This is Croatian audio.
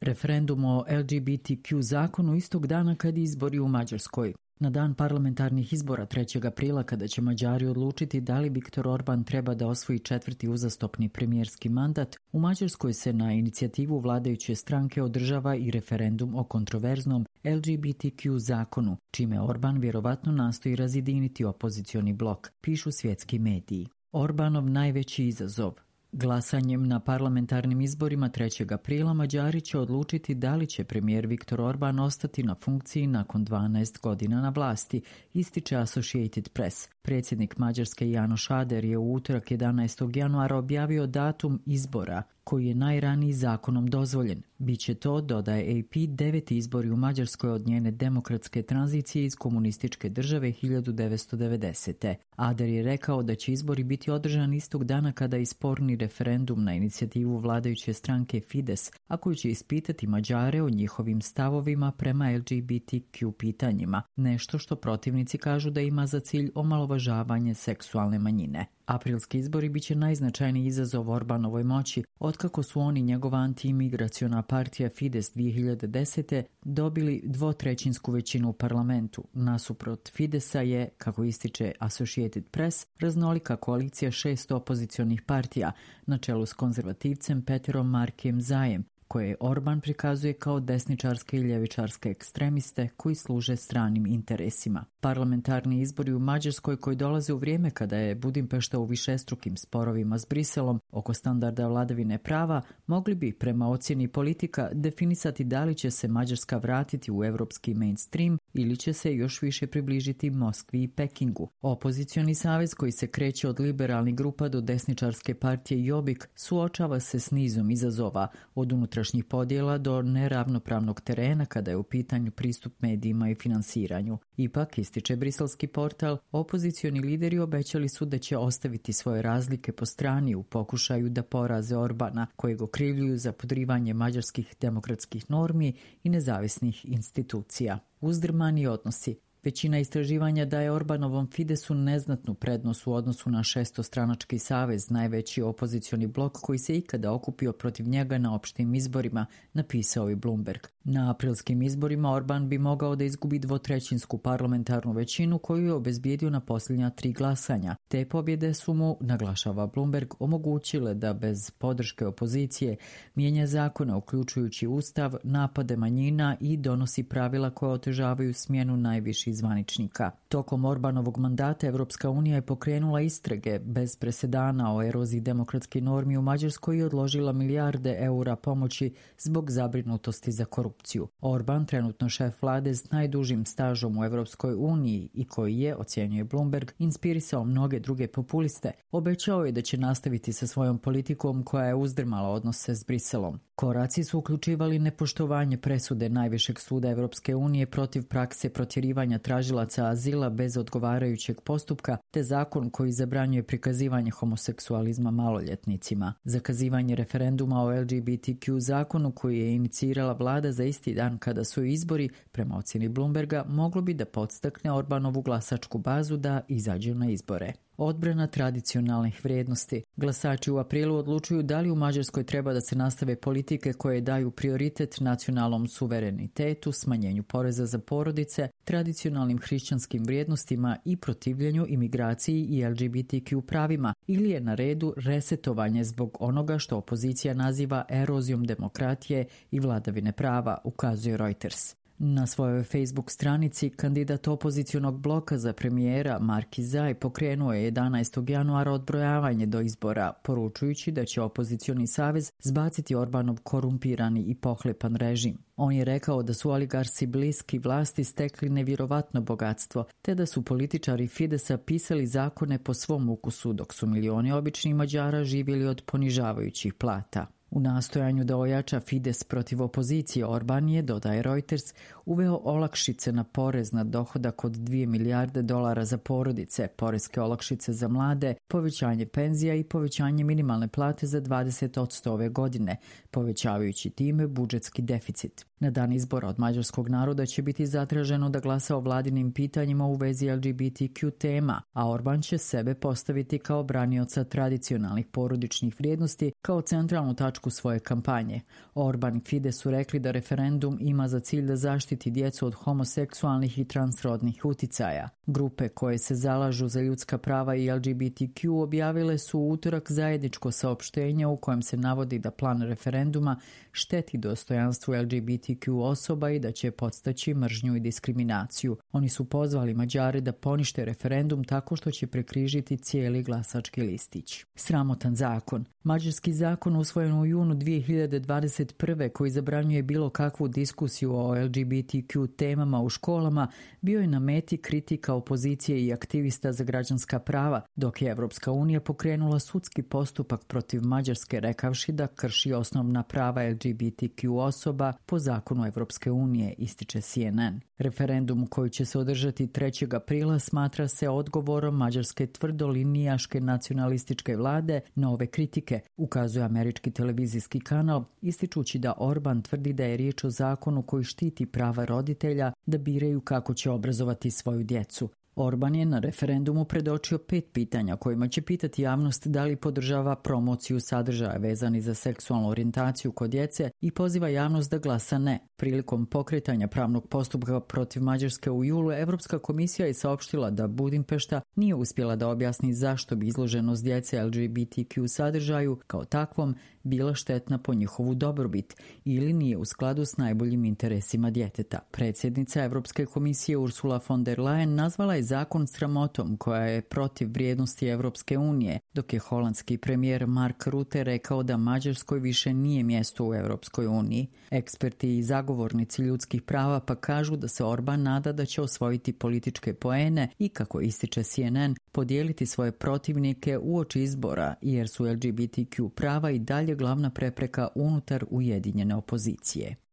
Referendum o LGBTQ zakonu istog dana kad izbori u Mađarskoj. Na dan parlamentarnih izbora 3. aprila, kada će Mađari odlučiti da li Viktor Orban treba da osvoji 4. uzastopni premijerski mandat, u Mađarskoj se na inicijativu vladajuće stranke održava i referendum o kontroverznom LGBTQ zakonu, čime Orban vjerovatno nastoji razjediniti opozicioni blok, pišu svjetski mediji. Orbanov najveći izazov. Glasanjem na parlamentarnim izborima 3. aprila Mađari će odlučiti da li će premijer Viktor Orban ostati na funkciji nakon 12 godina na vlasti, ističe Associated Press. Predsjednik Mađarske János Áder je u utorak 11. januara objavio datum izbora, koji je najraniji zakonom dozvoljen. Biće to, dodaje AP, 9. izbori u Mađarskoj od njene demokratske tranzicije iz komunističke države 1990. Áder je rekao da će izbori biti održani istog dana kada je sporni referendum na inicijativu vladajuće stranke Fides, a koji će ispitati Mađare o njihovim stavovima prema LGBTQ pitanjima, nešto što protivnici kažu da ima za cilj omalovažavanje seksualne manjine. Aprilski izbori biće najznačajniji izazov Orbanovoj moći, otkako su oni njegova anti-imigraciona partija Fides 2010. dobili 2/3 većinu u parlamentu. Nasuprot Fidesa je, kako ističe Associated Press, raznolika koalicija 6 opozicionih partija, na čelu s konzervativcem Peterom Markijem Zajem, koje Orban prikazuje kao desničarske i ljevičarske ekstremiste koji služe stranim interesima. Parlamentarni izbori u Mađarskoj, koji dolaze u vrijeme kada je Budimpešta u višestrukim sporovima s Briselom oko standarda vladavine prava, mogli bi, prema ocjeni politika, definisati da li će se Mađarska vratiti u evropski mainstream ili će se još više približiti Moskvi i Pekingu. Opozicioni savez, koji se kreće od liberalnih grupa do desničarske partije Jobbik, suočava se s nizom izazova, od unutrašnjih podjela do neravnopravnog terena kada je u pitanju pristup medijima i finansiranju. Ipak, ističe briselski portal, opozicioni lideri obećali su da će ostaviti svoje razlike po strani u pokušaju da poraze Orbana, kojeg okrivljuju za podrivanje mađarskih demokratskih normi i nezavisnih institucija. Uzdrmani odnosi. Većina istraživanja daje Orbanovom Fidesu neznatnu prednost u odnosu na šestostranački savez, najveći opozicioni blok koji se ikada okupio protiv njega na opštim izborima, napisao je Bloomberg. Na aprilskim izborima Orban bi mogao da izgubi 2/3 parlamentarnu većinu koju je obezbijedio na posljednja 3 glasanja. Te pobjede su mu, naglašava Bloomberg, omogućile da bez podrške opozicije mijenja zakone uključujući ustav, napade manjina i donosi pravila koja otežavaju smjenu najviših zvaničnika. Tokom Orbanovog mandata Evropska unija je pokrenula istrage bez presedana o eroziji demokratskih normi u Mađarskoj i odložila milijarde eura pomoći zbog zabrinutosti za korupciju. Orban, trenutno šef vlade s najdužim stažom u Evropskoj uniji i koji je, ocjenjuje Bloomberg, inspirisao mnoge druge populiste, obećao je da će nastaviti sa svojom politikom koja je uzdrmala odnose s Briselom. Koraci su uključivali nepoštovanje presude najvišeg suda Evropske unije protiv prakse protjerivanja tražilaca azila bez odgovarajućeg postupka, te zakon koji zabranjuje prikazivanje homoseksualizma maloljetnicima. Zakazivanje referenduma o LGBTQ zakonu koji je inicirala vlada za isti dan kada su izbori, prema ocjeni Bloomberga, moglo bi da podstakne Orbanovu glasačku bazu da izađu na izbore. Odbrana tradicionalnih vrijednosti. Glasači u aprilu odlučuju da li u Mađarskoj treba da se nastave politike koje daju prioritet nacionalnom suverenitetu, smanjenju poreza za porodice, tradicionalnim hrišćanskim vrijednostima i protivljenju imigraciji i LGBTQ pravima, ili je na redu resetovanje zbog onoga što opozicija naziva erozijom demokratije i vladavine prava, ukazuje Reuters. Na svojoj Facebook stranici kandidat opozicionog bloka za premijera Marki Zaj pokrenuo je 11. januara odbrojavanje do izbora, poručujući da će opozicioni savez zbaciti Orbanov korumpirani i pohlepan režim. On je rekao da su oligarsi bliski vlasti stekli nevjerovatno bogatstvo, te da su političari Fidesa pisali zakone po svom ukusu, dok su milioni običnih Mađara živjeli od ponižavajućih plata. U nastojanju da ojača Fides protiv opozicije, Orban je, dodaje Reuters, uveo olakšice na porez na dohodak od 2 milijarde dolara za porodice, poreske olakšice za mlade, povećanje penzija i povećanje minimalne plate za 20% ove godine, povećavajući time budžetski deficit. Na dan izbora od mađarskog naroda će biti zatraženo da glasa o vladinim pitanjima u vezi LGBTQ tema, a Orban će sebe postaviti kao branioca tradicionalnih porodičnih vrijednosti kao centralnu tačku točku svoje kampanje. Orban i Fidesz su rekli da referendum ima za cilj da zaštiti djecu od homoseksualnih i transrodnih uticaja. Grupe koje se zalažu za ljudska prava i LGBTQ objavile su u utorak zajedničko saopštenje u kojem se navodi da plan referenduma šteti dostojanstvu LGBTQ osoba i da će podstaći mržnju i diskriminaciju. Oni su pozvali Mađare da ponište referendum tako što će prekrižiti cijeli glasački listić. Sramotan zakon. Mađarski zakon usvojen u junu 2021. koji zabranjuje bilo kakvu diskusiju o LGBTQ temama u školama bio je na meti kritika opozicije i aktivista za građanska prava, dok je Evropska unija pokrenula sudski postupak protiv Mađarske rekavši da krši osnovna prava LGBTQ osoba po zakonu Evropske unije, ističe CNN. Referendum koji će se održati 3. aprila smatra se odgovorom mađarske tvrdolinijaške nacionalističke vlade na ove kritike, ukazuje američki televizijski kanal, ističući da Orban tvrdi da je riječ o zakonu koji štiti prava roditelja da biraju kako će obrazovati svoju djecu. Orban je na referendumu predočio 5 pitanja kojima će pitati javnost da li podržava promociju sadržaja vezani za seksualnu orijentaciju kod djece i poziva javnost da glasa ne. Prilikom pokretanja pravnog postupka protiv Mađarske u julu, Evropska komisija je saopštila da Budimpešta nije uspjela da objasni zašto bi izloženost djece LGBTQ sadržaju kao takvom bila štetna po njihovu dobrobit ili nije u skladu s najboljim interesima djeteta. Predsjednica Evropske komisije Ursula von der Leyen nazvala je zakon sramotom koja je protiv vrijednosti Evropske unije, dok je holandski premijer Mark Rutte rekao da Mađarskoj više nije mjesto u Evropskoj uniji. Eksperti i zagovornici ljudskih prava pa kažu da se Orban nada da će osvojiti političke poene i, kako ističe CNN, podijeliti svoje protivnike uoči izbora, jer su LGBTQ prava i dalje glavna prepreka unutar ujedinjene opozicije.